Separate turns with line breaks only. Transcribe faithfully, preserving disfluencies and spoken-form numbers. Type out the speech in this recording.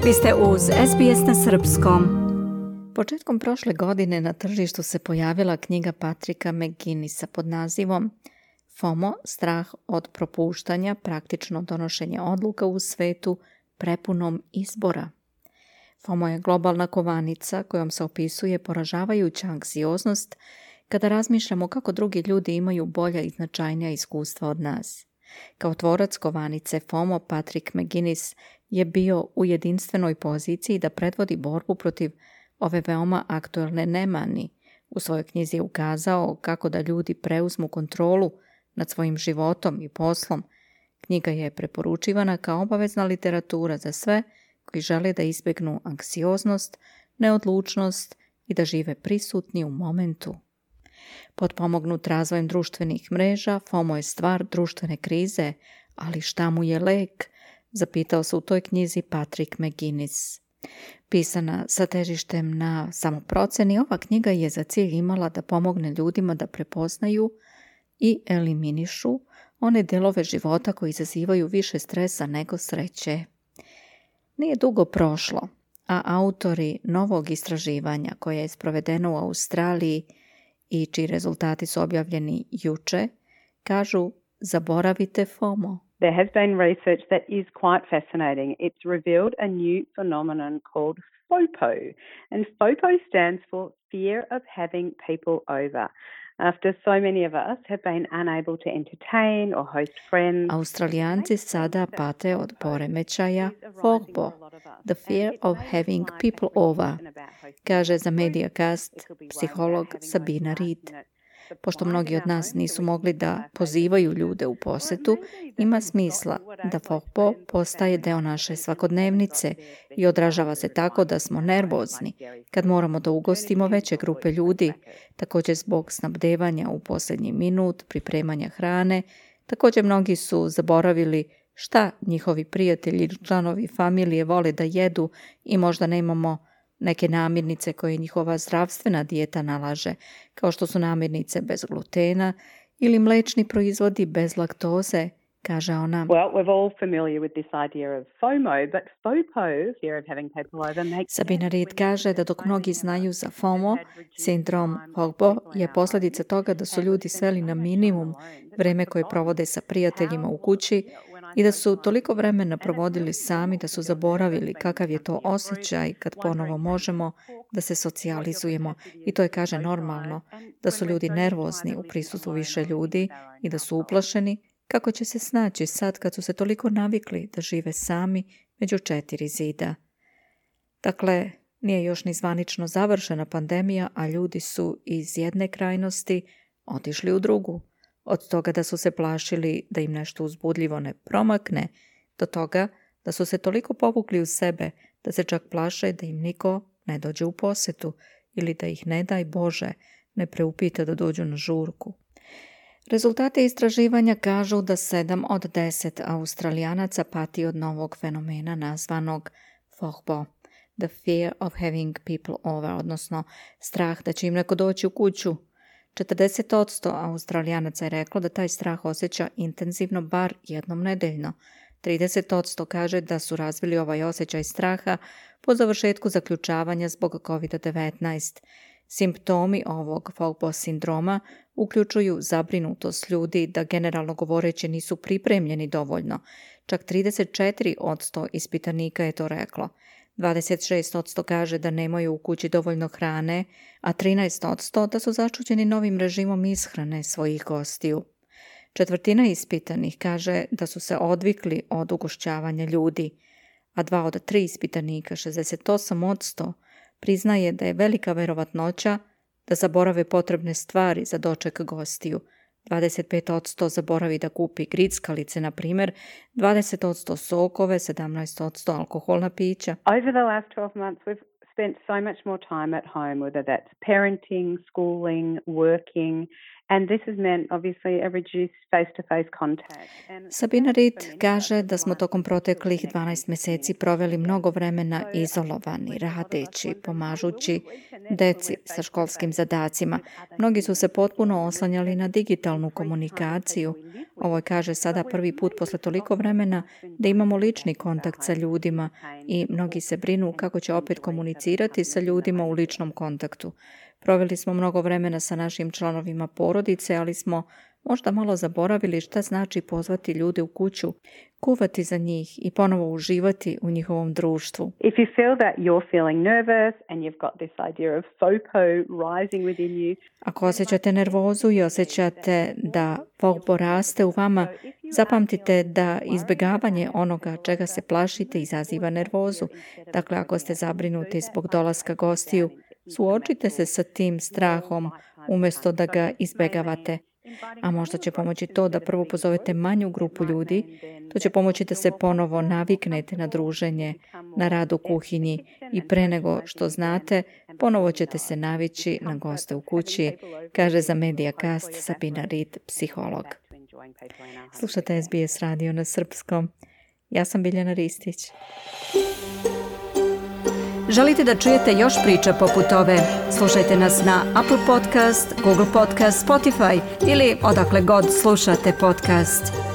Vi ste uz S B S na srpskom.
Početkom prošle godine na tržištu se pojavila knjiga Patricka McGuinnessa pod nazivom FOMO, strah od propuštanja, praktično donošenje odluka u svetu prepunom izbora. FOMO je globalna kovanica kojom se opisuje poražavajuća anksioznost kada razmišljamo kako drugi ljudi imaju bolja i značajnija iskustva od nas. Kao tvorac kovanice FOMO, Patrick McGuinness je bio u jedinstvenoj poziciji da predvodi borbu protiv ove veoma aktuelne nemani. U svojoj knjizi je ukazao kako da ljudi preuzmu kontrolu nad svojim životom i poslom. Knjiga je preporučivana kao obavezna literatura za sve koji žele da izbjegnu anksioznost, neodlučnost i da žive prisutni u momentu. Potpomognut razvojem društvenih mreža, FOMO je stvar društvene krize, ali šta mu je lek? Zapitao se u toj knjizi Patrick McGuinness. Pisana sa težištem na samoproceni, ova knjiga je za cilj imala da pomogne ljudima da prepoznaju i eliminišu one delove života koji izazivaju više stresa nego sreće. Nije dugo prošlo, a autori novog istraživanja koje je sprovedeno u Australiji i čiji rezultati su objavljeni juče, kažu zaboravite FOMO.
There has been research that is quite fascinating. It's revealed a new phenomenon called FOPO. And FOPO stands for Fear of Having People Over. After so many of us have been unable to entertain or host friends.
Australijanci sada pate od poremećaja FOPO, the fear of having people over, kaže za Mediacast psiholog Sabina Reid. Pošto mnogi od nas nisu mogli da pozivaju ljude u posetu, ima smisla da FOPO postaje deo naše svakodnevnice i odražava se tako da smo nervozni kad moramo da ugostimo veće grupe ljudi, također zbog snabdevanja u posljednji minut, pripremanja hrane. Također mnogi su zaboravili šta njihovi prijatelji ili članovi familije vole da jedu i možda nemamo neke namirnice koje njihova zdravstvena dijeta nalaže, kao što su namirnice bez glutena ili mlečni proizvodi bez laktoze, kaže ona.
Well, we're all familiar with this idea of FOMO, but FOPO, fear of having people over, makes
Sabina Reid kaže da dok mnogi znaju za FOMO, sindrom FOPO je posljedica toga da su ljudi sveli na minimum vreme koje provode sa prijateljima u kući i da su toliko vremena provodili sami da su zaboravili kakav je to osjećaj kad ponovo možemo da se socijalizujemo. I to je, kaže, normalno, da su ljudi nervozni u prisustvu više ljudi i da su uplašeni kako će se snaći sad kad su se toliko navikli da žive sami među četiri zida. Dakle, nije još ni zvanično završena pandemija, a ljudi su iz jedne krajnosti otišli u drugu. Od toga da su se plašili da im nešto uzbudljivo ne promakne, do toga da su se toliko povukli u sebe da se čak plaše da im niko ne dođe u posetu ili da ih, ne daj Bože, ne preupita da dođu na žurku. Rezultate istraživanja kažu da sedam od deset Australijanaca pati od novog fenomena nazvanog FOPO, the fear of having people over, odnosno strah da će im neko doći u kuću. četrdeset posto Australijanaca je reklo da taj strah osjeća intenzivno bar jednom nedeljno. trideset posto kaže da su razvili ovaj osjećaj straha po završetku zaključavanja zbog kovid devetnaest. Simptomi ovog FOPO sindroma uključuju zabrinutost ljudi da generalno govoreći nisu pripremljeni dovoljno. Čak trideset četiri posto ispitanika je to reklo. dvadeset šest posto kaže da nemaju u kući dovoljno hrane, a trinaest posto da su začuđeni novim režimom ishrane svojih gostiju. Četvrtina ispitanih kaže da su se odvikli od ugošćavanja ljudi, a dva od tri ispitanika, šezdeset osam posto, priznaje da je velika verovatnoća da zaborave potrebne stvari za doček gostiju. dvadeset pet posto zaboravi da kupi grickalice, na primjer, dvadeset posto sokove, sedamnaest posto alkoholna pića.
Over the last twelve months we've spent so much more time at home, whether that's parenting, schooling, working, And this has meant obviously a reduced face-to-face contact.
Sabina Reed kaže da smo tokom proteklih dvanaest mjeseci proveli mnogo vremena izolovani, radeći, pomažući deci sa školskim zadacima. Mnogi su se potpuno oslanjali na digitalnu komunikaciju. Ovo je, kaže, sada prvi put posle toliko vremena da imamo lični kontakt sa ljudima i mnogi se brinu kako će opet komunicirati sa ljudima u ličnom kontaktu. Proveli smo mnogo vremena sa našim članovima porodice, ali smo možda malo zaboravili šta znači pozvati ljude u kuću, kuvati za njih i ponovo uživati u njihovom društvu.
If you feel that you're feeling nervous and you've got this idea of FOPO rising within you.
Ako osjećate nervozu i osjećate da FOPO raste u vama, zapamtite da izbjegavanje onoga čega se plašite izaziva nervozu. Dakle, ako ste zabrinuti zbog dolaska gostiju, suočite se sa tim strahom umjesto da ga izbjegavate. A možda će pomoći to da prvo pozovete manju grupu ljudi, to će pomoći da se ponovo naviknete na druženje, na rad u kuhinji i pre nego što znate, ponovo ćete se navići na goste u kući, kaže za Mediacast Sabina Reed, psiholog. Slušate S B S radio na srpskom. Ja sam Biljana Ristić.
Želite da čujete još priča poput ove? Slušajte nas na Apple Podcast, Google Podcast, Spotify ili odakle god slušate podcast.